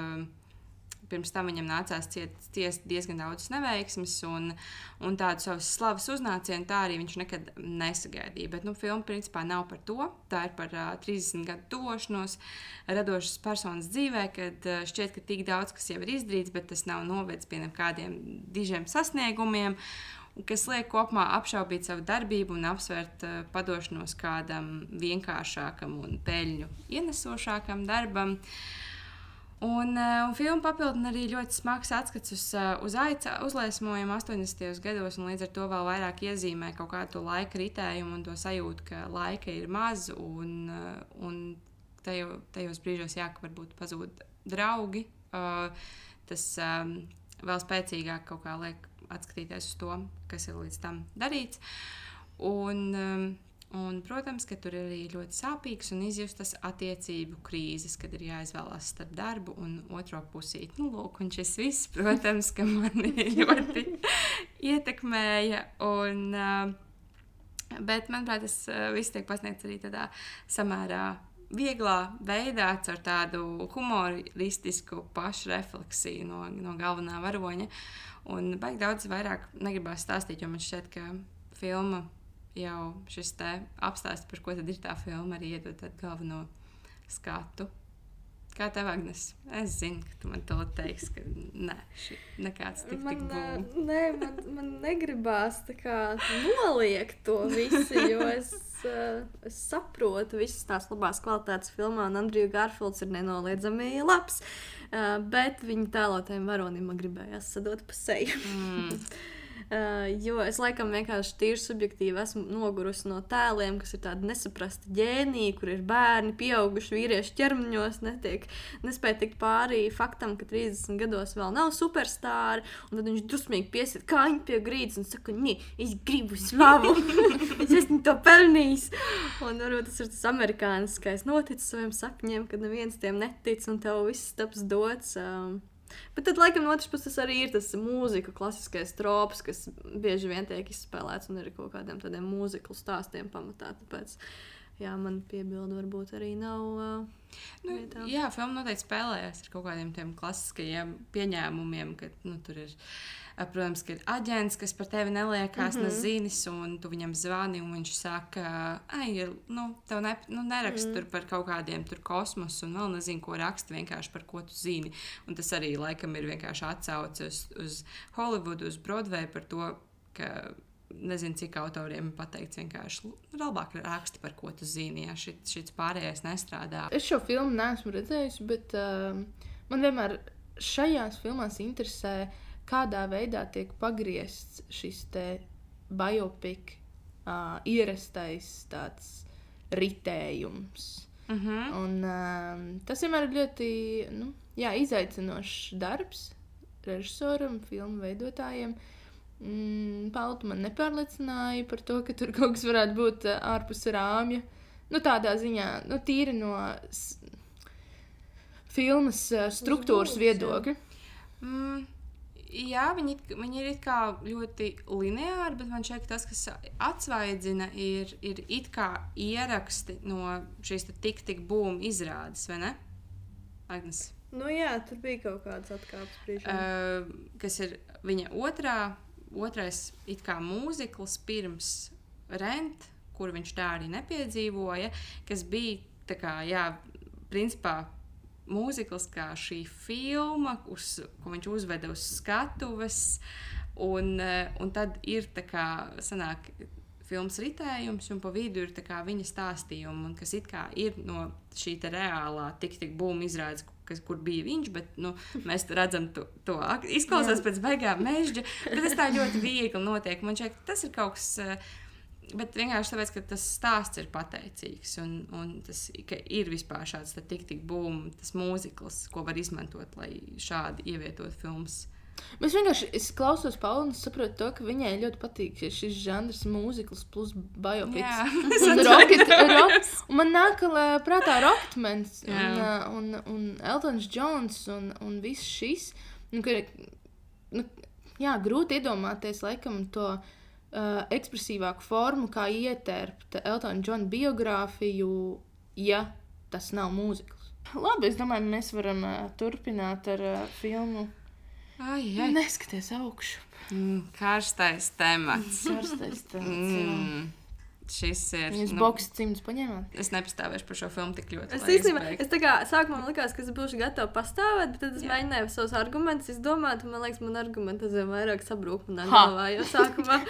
pirms tam viņam nācās ciest diezgan daudz neveiksmes un tādu savas slavas uznācienu, tā arī viņš nekad nesagaidīja. Bet filma principā nav par to. Tā ir par 30 gadu tuvošanos radošas personas dzīvē, kad šķiet, ka tik daudz, kas jau ir izdarīts, bet tas nav novedis pie kādiem dižiem sasniegumiem, kas liek kopumā apšaubīt savu darbību un apsvērt padošanos kādam vienkāršākam un peļņu ienesošākam darbam. Un filma papildina arī ļoti smags atskats uz aica uzliesmojumu 80. gados, un līdz ar to vēl vairāk iezīmē kaut kādu laika ritējumu un to sajūtu, ka laika ir maz, un tajos brīžos ka varbūt pazūd draugi. Tas vēl spēcīgāk kaut kā liek atskatīties uz to, kas ir līdz tam darīts. Un, protams, ka tur ir arī ļoti sāpīgs un izjustas attiecību krīzes, kad ir jāizvēlās starp darbu un otro pusīti. Lūk, un šis viss, protams, ka mani ļoti ietekmēja. Bet, manuprāt, tas viss tiek pasniegts arī tādā samērā vieglā veidā, ar tādu humoristisku pašrefleksiju no galvenā varoņa. Un baigi daudz vairāk negribās stāstīt, jo man šķiet, ka filma jau šis te apstāsts, par ko tad ir tā filma, arī iedod tādu galveno skatu. Kā tev, Agnes? Es zinu, ka tu man to teiksi, ka nekāds tik būs. Nē, man negribās tā kā noliegt to visu, jo es saprotu visas tās labās kvalitātes filmā, un Andriju Garfields ir nenoliedzami labs, bet viņa tēlotajiem varonim man gribējās sadot pa seju. Jo es laikam vienkārši tīri subjektīvi esmu nogurusi no tēliem, kas ir tādi nesaprasti ģēniji, kur ir bērni, pieauguši vīrieši ķermeņos, nespēja tikt pārī faktam, ka 30 gados vēl nav superstāri, un tad viņš dusmīgi piesiet kāņu pie grīdas un saka, es gribu slavu, es esmu to pelnījis. Un varbūt tas ir tas amerikāniskais noticis saviem sapņiem, kad neviens tiem netic un tev viss taps dots. Bet tad, laikam, no otras puses arī ir tas mūzika, klasiskais trops, kas bieži vien tiek izspēlēts un ir kaut kādiem tādiem mūziklu stāstiem pamatā. Tāpēc, man piebildu varbūt arī nav. Jā, filma noteikti spēlējas ar kaut kādiem tiem klasiskajiem pieņēmumiem, ka tur ir, protams, ka ir aģents, kas par tevi neliekās nezinis, un tu viņam zvani, un viņš saka, tev nerakst tur par kaut kādiem tur kosmosu, un vēl nezinu, ko raksta vienkārši par ko tu zini. Un tas arī laikam ir vienkārši atsauce uz Hollywoodu, uz Broadway par to, ka nezinu, cik autoriem pateikts vienkārši labāk raksti par ko tu zini, ja šits pārējais nestrādā. Es šo filmu neesmu redzējusi, bet man vienmēr šajās filmās interesē, kādā veidā tiek pagriezts šis te biopic ierastais tāds ritējums. Un tas vienmēr ir ļoti izaicinošs darbs režisoram, filmu veidotājiem. Paltu man nepārliecināja par to, ka tur kaut kas varētu būt ārpus rāmja. Tādā ziņā, tīri no filmas struktūras viedokļa. Jā, viņi ir it kā ļoti lineāri, bet man šķiet, ka tas, kas atsvaidzina, ir it kā ieraksti no šīs tik būm izrādes, vai ne, Agnes? Jā, tur bija kaut kāds atkāpes priekšā. Kas ir viņa otrais it kā mūzikls pirms Rent, kur viņš tā arī nepiedzīvoja, kas bija tā kā, principā mūzikls kā šī filma, ko viņš uzveda uz skatuves, un tad ir tā kā sanāk filmas ritējums, un pa vidu ir tā kā viņa stāstījumi, un kas it kā ir no šī te reālā tik būma izrādes, kur bija viņš, bet mēs redzam to izklausās pēc beigām mežģa, bet tas tā ļoti viegli notiek. Man šķiet, tas ir kaut kas, bet vienkārši tāpēc, ka tas stāsts ir pateicīgs, un tas, ka ir vispār šāds tik būma, tas mūzikls, ko var izmantot, lai šādi ievietot filmas. Es vienkārši klausos Paulu un saprotu to, ka viņai ļoti patīk šis žanrs mūzikls plus biopics. Un man nāk prātā Rocketmans un Eltons Johns un viss šis. Grūti iedomāties laikam to ekspresīvāku formu, kā ietērpt Eltona Johna biogrāfiju, ja tas nav mūzikls. Labi, es domāju, mēs varam turpināt ar filmu. Neskaties augšu. Karstais temats. Šis ir... Jūs boks cimdus paņēmāt? Es nepastāvēšu par šo filmu tik ļoti. Es tā kā sākumā man likās, ka es būšu gatava pastāvēt, bet tad es mēģināju savus argumentus izdomāt, un man liekas, man argumenti vairāk sabrūk manā galvā, jo sākumā...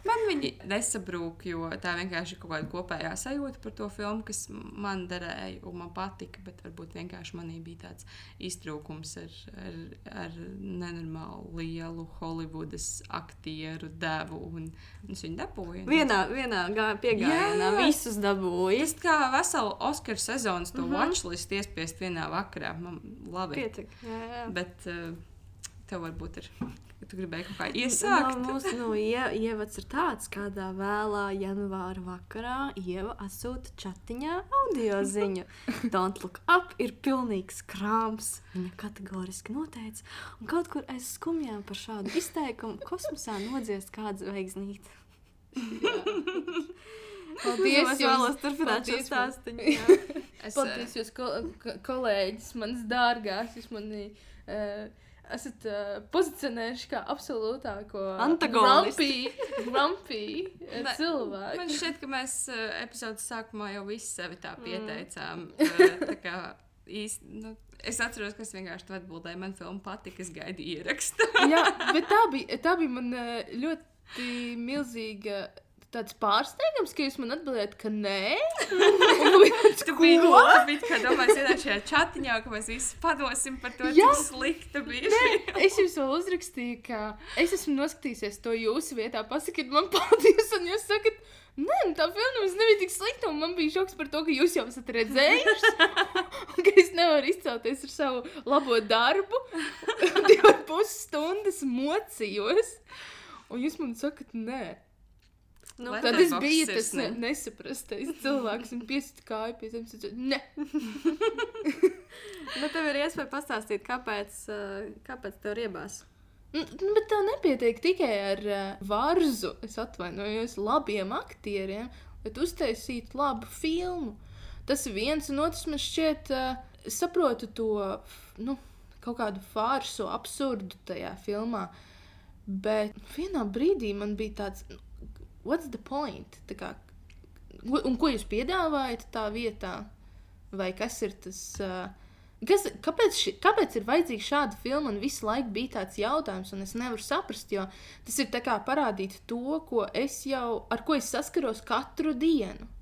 Man viņi nesabrūk, jo tā vienkārši ir kaut kāda kopējā sajūta par to filmu, kas man derēja un man patika, bet varbūt vienkārši manī bija tāds iztrūkums ar nenormālu lielu Hollywoodas aktieru devu, un es viņu dabūju. Vienā piegājienā visus dabūju. Tas kā veselu Oskaru sezonas to watchlist iespiest vienā vakarā. Man labi. Pietik, jā. Bet tev varbūt ir... Tu gribēji kaut kā iesākt? Mūsu ievads ir tāds, kādā vēlā janvāra vakarā Ieva atsūta čatiņā audio ziņu. Don't look up ir pilnīgs krāms. Viņa kategoriski noteica. Un kaut kur aiz skumjām par šādu izteikumu kosmosā nodziest kādu zvaigznīti. Paldies, Es vēlos turpināt šo stāstiņu. Paldies, jūs kolēģis, manas dārgās, jūs mani esat pozicionējuši kā absolūtāko grumpy cilvēku. Man šķiet, ka mēs epizodes sākumā jau visi sevi tā pieteicām. Tā kā īsti, es atceros, ka es vienkārši tu atbildēju, man filma patika, es gaidīju ierakstu. Jā, bet tā bija man ļoti milzīga tāds pārsteigums, ka jūs man atbildējat, ka nē. Tu biji kā domājis ienāk šajā čatiņā, ka mēs visi padosim par to, cik slikta bija šī. Es jums vēl uzrakstīju, ka es esmu noskatījusies to jūsu vietā, pasakiet man paldies, un jūs sakat, nē, tā filma nebija tik slikta, un man bija šoks par to, ka jūs jau esat redzējuši, un ka es nevaru izcelties ar savu labo darbu, 2,5 stundas mocījos, un jūs man sakat, nē. Tad es biju tas nesaprastais cilvēks un piesitu kāju pie zemes un teicu, ne. Bet tev ir iespēja pastāstīt, kāpēc tev riebās? Bet tev nepietiek tikai ar varzu, es atvainojos, labiem aktieriem, bet uztaisīt labu filmu. Tas ir viens, un otrs man šķiet, es saprotu to, kaut kādu fārsu, absurdu tajā filmā, bet vienā brīdī man bija tāds... What's the point? Un ko jūs piedāvājat tā vietā? Vai kas ir tas... Kāpēc ir vajadzīga šāda filma un visu laiku bija tāds jautājums, un es nevaru saprast, jo tas ir tā kā parādīt to, ar ko es saskaros katru dienu.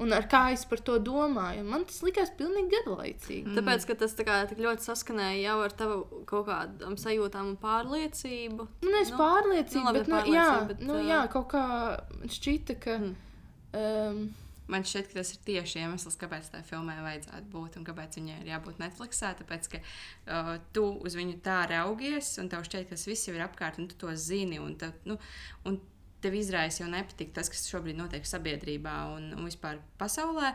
Un ar kā es par to domāju. Man tas likās pilnīgi garlaicīgi. Tāpēc, ka tas tik ļoti saskanēja jau ar tavu kaut kādām sajūtām un pārliecību. Nevis pārliecību, bet kaut kā šķita, ka... Man šķiet, ka tas ir tieši iemesls, kāpēc tā filmai vajadzētu būt un kāpēc viņai ir jābūt Netflixā, tāpēc, ka tu uz viņu tā raugies un tev šķiet, ka tas viss jau ir apkārt un tu to zini un tev izraisa jau nepatīk tas, kas šobrīd notiek sabiedrībā un vispār pasaulē,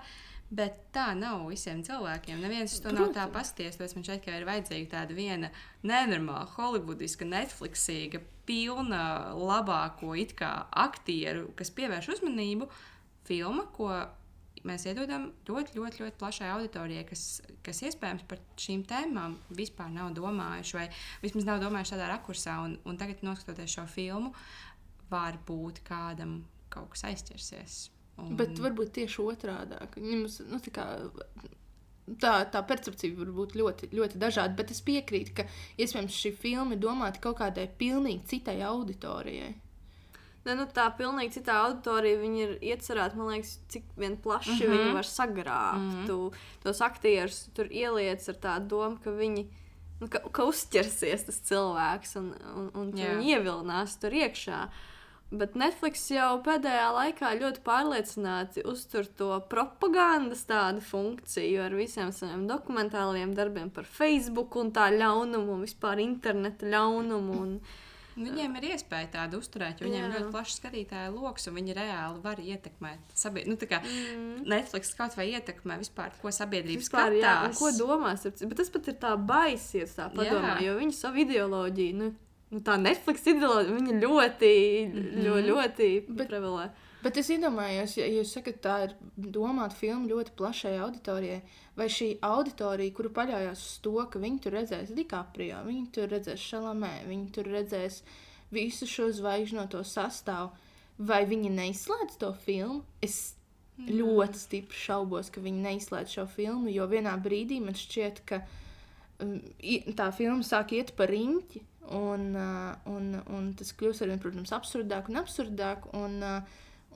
bet tā nav visiem cilvēkiem. Neviens to nav tā pasties, tāpēc man šeit, ka ir vajadzīga tāda viena nenormāla, hollywoodiska, Netflixīga, pilna labāko it kā aktieru, kas pievērš uzmanību, filma, ko mēs iedodam ļoti, ļoti, ļoti plašai auditorijai, kas iespējams par šīm tēmām vispār nav domājuši vai vismaz nav domājuši tādā rakursā un tagad noskatoties šo filmu, var būt kādam kaut kas aizķersies. Bet varbūt tieši otrādāk. Tā percepcija var būt ļoti, ļoti dažāda, bet es piekrītu, ka iespējams šī filma ir domāta kaut kādai pilnīgi citai auditorijai. Tā pilnīgi citā auditorija, viņi ir iecerēti, man liekas, cik vien plaši viņi var sagrābt. Tu tos aktierus tur ieliec ar tādu domu, ka viņi ka uzķersies tas cilvēks un viņi ievilinās tur iekšā. Bet Netflix jau pēdējā laikā ļoti pārliecināti uztur to propagandas tādu funkciju ar visiem saviem dokumentāliem darbiem par Facebook un tā ļaunumu un vispār interneta ļaunumu. Viņiem ir iespēja tādu uzturēt, jo viņiem ir ļoti plašs skatītāju loks un viņi reāli var ietekmēt sabiedrību. Netflix kaut vai ietekmē vispār, ko sabiedrība skatās. Jā, un ko domās. Bet tas pat ir tā baisies, tā padomā, jo viņi savu ideoloģiju, tā Netflix ideoloģija, viņa ļoti prevalē. Bet es iedomājos, ja jūs sakat, tā ir domāta filma ļoti plašai auditorijai, vai šī auditorija, kuru paļaujās uz to, ka viņi tur redzēs DiCaprio, viņi tur redzēs Chalamet, viņi tur redzēs visu šo zvaigžņoto sastāvu, vai viņi neizslēdz to filmu? Es ļoti stipri šaubos, ka viņi neizslēdz šo filmu, jo vienā brīdī man šķiet, ka tā filma sāk iet pa riņķi, un tas kļūst arvien, protams, absurdāk un absurdāk,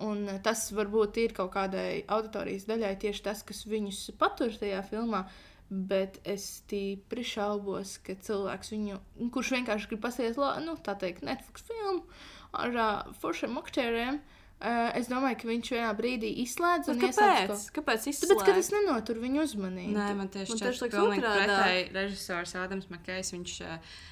un tas varbūt ir kaut kādai auditorijas daļai tieši tas, kas viņus patur tajā filmā, bet es stipri šaubos, ka cilvēks viņu, kurš vienkārši grib paskatīties, tā teikt, Netflix filmu ar foršiem aktieriem, es domāju, ka viņš vienā brīdī izslēdz un ieslēdz. Kāpēc izslēdz? Tāpēc, ka tas nenotur viņu uzmanību. Nē, man tieši šķiet pilnīgi pretēji režisors Ādams Makejs,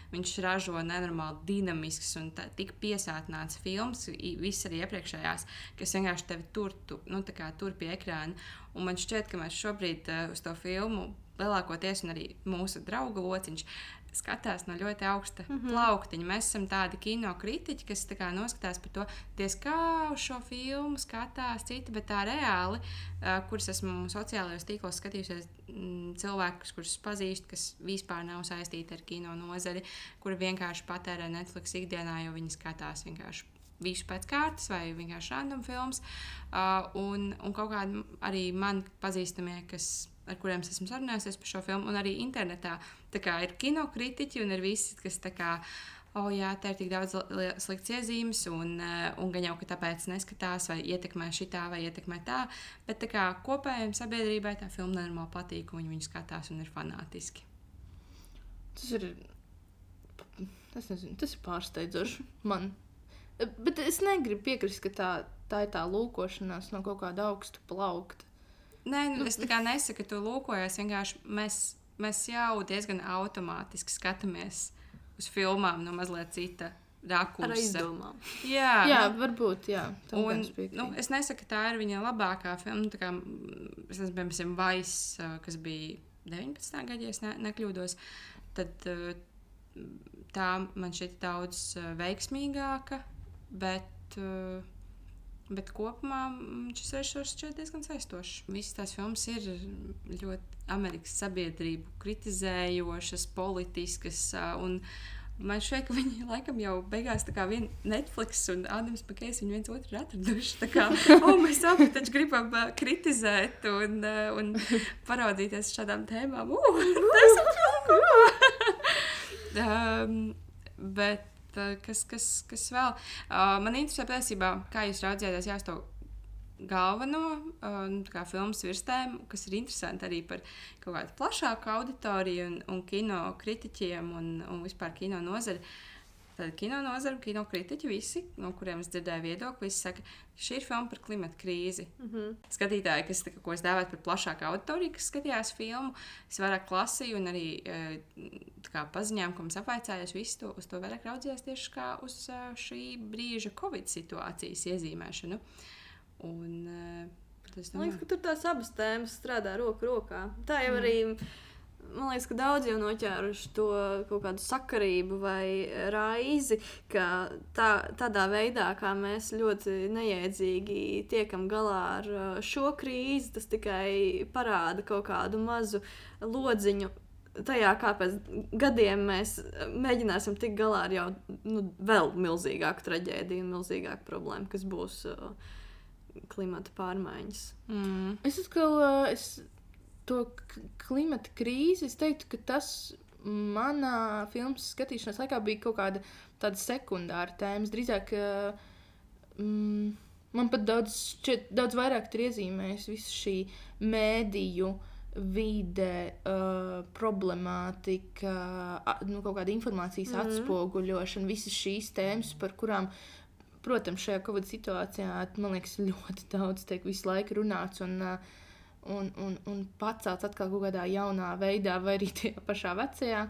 viņš ražo nenormāli dinamisks un tik piesātināts films, viss arī iepriekšējās, kas vienkārši tevi tur pie ekrāna. Un man šķiet, ka mēs šobrīd uz to filmu lielākoties, un arī mūsu draugu lociņš, skatās no ļoti augsta plauktiņa. Mēs esam tādi kino kritiķi, kas tā kā noskatās par to, kā uz šo filmu skatās citi, bet tā reāli, kurus esmu sociālajos tīklos skatījusies, cilvēkus, kurus pazīstu, kas vispār nav saistīti ar kino nozari, kuri vienkārši patērē Netflix ikdienā, jo viņi skatās vienkārši visu pēc kārtas vai vienkārši random films. Un kaut kādi arī man pazīstamie, ar kuriem es esmu sarunājusies par šo filmu, un arī internetā tā kā ir kinokritiķi un ir visi, kas tā kā, jā, te ir tik daudz slikts iezīmes, un gan jau, ka tāpēc neskatās, vai ietekmē šitā, vai ietekmē tā, bet tā kā kopējiem sabiedrībai tā filma nenormāli patīk, un viņi skatās un ir fanātiski. Tas ir pārsteidzoši man. Bet es negribu piekrist, ka tā ir tā lūkošanās no kaut kāda augsta plaukta. Nē, es tā kā nesaku, ka tu lūkojies, vienkārši mēs jau diezgan automātiski skatāmies uz filmām no mazliet cita rakursa. Ar izdomām. Jā, varbūt, jā. Un, es nesaku, ka tā ir viņa labākā filma. Tā kā, es esmu, piemēram, Vice, kas bija 19. gada, ja es nekļūdos, tad tā man šķiet daudz veiksmīgāka, bet kopumā šis režisors šķiet diezgan saistošs. Visas tās filmas ir ļoti Amerikas sabiedrību kritizējošas, politiskas, un man šķiet, ka viņi laikam jau beigās tā kā vien Netflix un Adams Makejs viņi viens otru ir atraduši. Tā kā, mēs abi taču gribam kritizēt un paraudzīties šādām tēmām. Bet kas vēl? Man interesē patiesībā, kā jūs raudzījāties jā, uz to galveno kā filmas virstēmu, kas ir interesanti arī par kaut kādu plašāku auditoriju un kino kritiķiem un vispār kino nozari. Tad kino nozara, kino kritiķi visi, no kuriem es dzirdēju viedokli, visi saka, ka šī ir filma par klimata krīzi. Skatītāji, ko es dēvētu par plašāku auditoriju, kas skatījās filmu, es vairāk lasīju un arī paziņām, ko mums apvaicājās, visi uz to vairāk raudzījās tieši kā uz šī brīža Covid situācijas iezīmēšanu. Un, man liekas, ka tur tās abas tēmas strādā roku rokā. Tā jau arī... Man liekas, ka daudz jau noķēruši to kaut kādu sakarību vai raizi, ka tādā veidā, kā mēs ļoti neiedzīgi tiekam galā ar šo krīzi, tas tikai parāda kaut kādu mazu lodziņu tajā, kā pēc gadiem mēs mēģināsim tikt galā ar jau vēl milzīgāku traģēdiju un milzīgāku problēmu, kas būs klimata pārmaiņas. Es atkal... To klimata krīzi, es teiktu, ka tas manā filmas skatīšanās laikā bija kaut kāda tāda sekundāra tēma. Drīzāk man pat daudz vairāk tur iezīmējas visu šī mēdīju vide, problemātika, kaut kāda informācijas atspoguļošana, visas šīs tēmas, par kurām, protams, šajā Covid situācijā, man liekas, ļoti daudz tiek visu laiku runāts un pacelts atkal kaut kādā jaunā veidā, vai arī tajā pašā vecajā.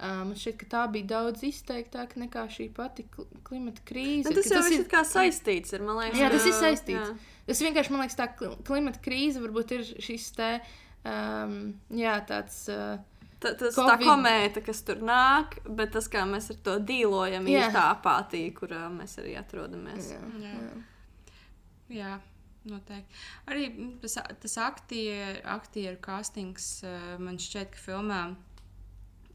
Man šķiet, ka tā bija daudz izteiktāka nekā šī pati klimata krīze. Tas jau ir kā saistīts ar, man liekas. Jā, tas ir saistīts. Jā. Tas vienkārši, man liekas, tā klimata krīze varbūt ir šis te, tāds... tā komēta, kas tur nāk, bet tas, kā mēs ar to dīlojam, ir tā apātija, kurā mēs arī atrodamies. Jā. Noteikti. Arī tas aktieru castings man šķiet, ka filmā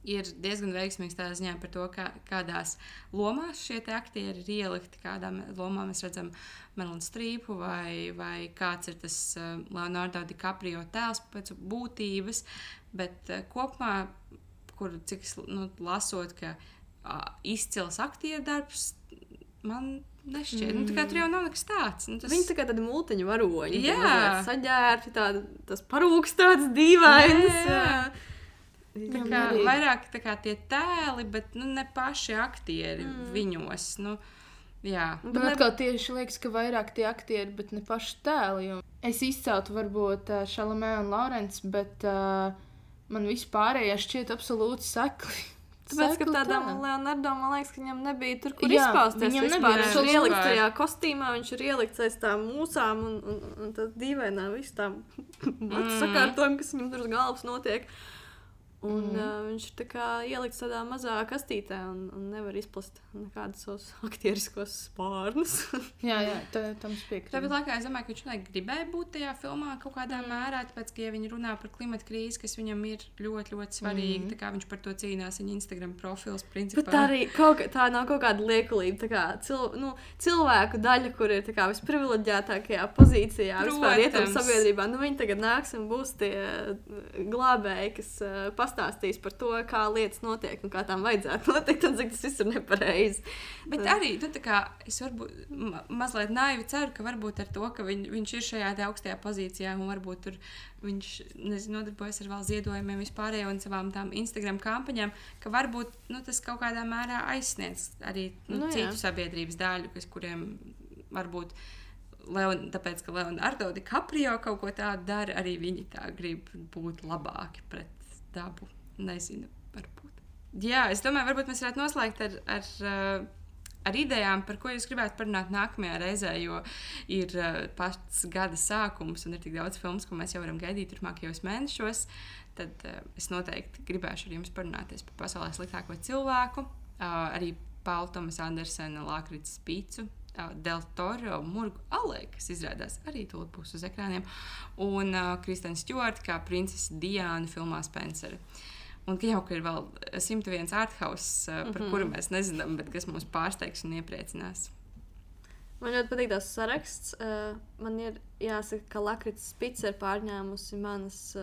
ir diezgan veiksmīgs tādā ziņā par to, kādās lomās šie te aktieri ir ielikti, kādām lomām mēs redzam Meryl Streepu vai kāds ir tas Leonardo DiCaprio tēls pēc būtības, bet kopumā, cik lasot, ka izcils aktieru darbs, man nešķiet. Tā kā tur jau nav nekas tāds. Viņi tā kā tādi multiņu varoņi. Jā. Saģērti, tas parūks tāds dīvains. Tā kā vairāk tā kā tie tēli, bet ne paši aktieri viņos. Jā. Man atkal tieši liekas, ka vairāk tie aktieri, bet ne paši tēli. Es izceltu varbūt Chalamet un Lawrence, bet man vispārējā šķiet absolūti sekli Tāpēc, ka tādam Leonardo, man liekas, ka viņam nebija tur, kur izpausties. Viņam vispār. nebija Viņš ir ielikts vispār. tajā kostīmā, viņš ir ielikts aiz tām mūsām un tad dīvainā visu tām matu sakārtojumi, kas viņam tur uz galvas notiek. Un viņš ir tā kā ielikts tādā mazā kastītē un nevar izplast nekādus savus aktieriskos spārnus. Jā, tam es piekrītu. Tāpat laikā es domāju, ka viņš gribēja būt tajā filmā kaut kādā mērā, tāpēc, ka ja viņi runā par klimata krīzi, kas viņam ir ļoti, ļoti svarīgi, tā kā viņš par to cīnās, viņa Instagram profils principā. Bet arī tā nav kaut kāda liekulība, tā kā cilvēku daļa, kur ir tā kā visprivileģētākajā pozīcijā vispār ietam sabiedrībā. Nu, viņi tagad nāks un būs tie glābēji, kas pastāstīs par to, kā lietas notiek un kā tām vajadzētu notikt, un cik tas viss ir nepareizi. Bet arī, tā kā es varbūt mazliet naivi ceru, ka varbūt ar to, ka viņš ir šajā te augstajā pozīcijā un varbūt tur viņš, nodarbojas ar vēl ziedojumiem vispārējo un savām tām Instagram kampaņām, ka varbūt, tas kaut kādā mērā aizsniedz arī citu sabiedrības daļu, kuriem varbūt tāpēc, ka Leonardo DiCaprio kaut ko tādu dara, arī viņi tā grib būt labāki pret dabu. Nezinu, varbūt. Jā, es domāju, varbūt mēs varētu noslēgt ar idejām, par ko jūs gribētu parunāt nākamajā reizē, jo ir pats gada sākums un ir tik daudz filmas, ko mēs jau varam gaidīt turpmākajos mēnešos. Tad es noteikti gribēšu ar jums parunāties par pasaulē sliktāko cilvēku, arī Paula Tomasa Andersena Lakrits Pīcu, Del Toro Murgu alē, kas izrādās arī tūlīt būs uz ekrāniem, un Kristen Stewart kā princese Diana filmā Spencer. Un jau ka ir vēl 101 arthouse, par kuru mēs nezinām, bet kas mūs pārsteigs un iepriecinās. Man ļoti patīk tās saraksts. Man ir jāsaka, ka Lakrits Pīca ir pārņēmusi manas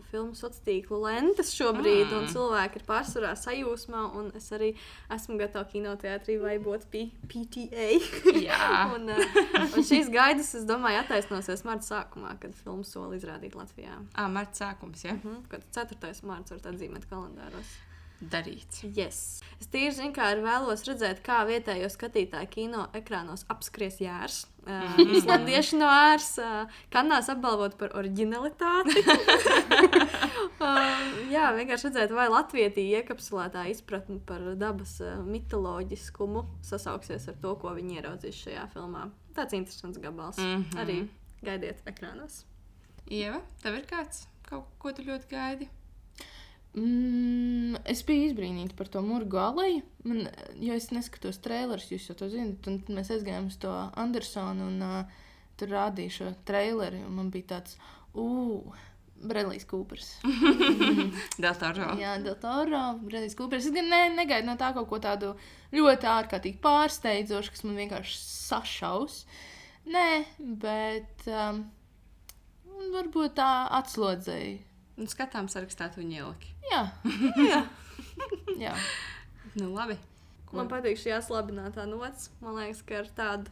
filmu sociālo tīklu lentes šobrīd, un cilvēki ir pārsvarā sajūsmā, un es arī esmu gatava kinoteātrī vaibot PTA. Jā. un šīs gaidas, es domāju, attaisnosies marta sākumā, kad filmu soli izrādīt Latvijā. Marta sākums, jā? Kad 4. marts var atzīmēt kalendāros. Darīts. Yes. Es tīri zinu, kā arī vēlos redzēt, kā vietējo skatītāju kino ekrānos apskries Jārs. Islandieši no Ārs Kannās apbalvot par oriģinalitāti. Jā, vienkārši redzēt, vai latvietī iekapsulētā izpratni par dabas mitoloģiskumu sasauksies ar to, ko viņi ieraudzīs šajā filmā. Tāds interesants gabals. Arī gaidiet ekrānos. Ieva, tev ir kāds? Kaut ko tu ļoti gaidi? Es biju izbrīnīta par to Murgu aleju, jo es neskatos trailerus, jūs jau to zinat, un mēs aizgājām uz to Andersonu un tur rādīju šo traileri, un man bija tāds, Bredlijs Kūpers. Del Toro. Jā, Del Toro, Bredlijs Kūpers. Es gan negaidu no tā kaut ko tādu ļoti ārkārtīgi pārsteidzošu, kas man vienkārši sašaus. Nē, bet varbūt tā atslodzēja. Un skatām sarakstā tu viņu ieliki. Jā. Nu, labi. Man patīk šī aslabinātā nots. Man liekas, ka ar tādu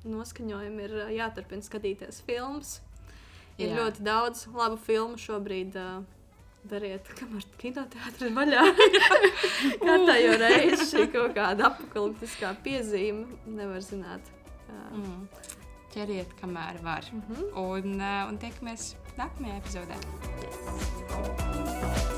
noskaņojumu ir jāturpina skatīties filmas. Ir ļoti daudz labu filmu šobrīd. Dariet, kamēr kinoteātri ir vaļā. Katējo reizi šī kaut kāda apokaliptiskā piezīme. Nevar zināt. Ķeriet, kamēr var. Un tiekamies nākamajā epizodē. Yes.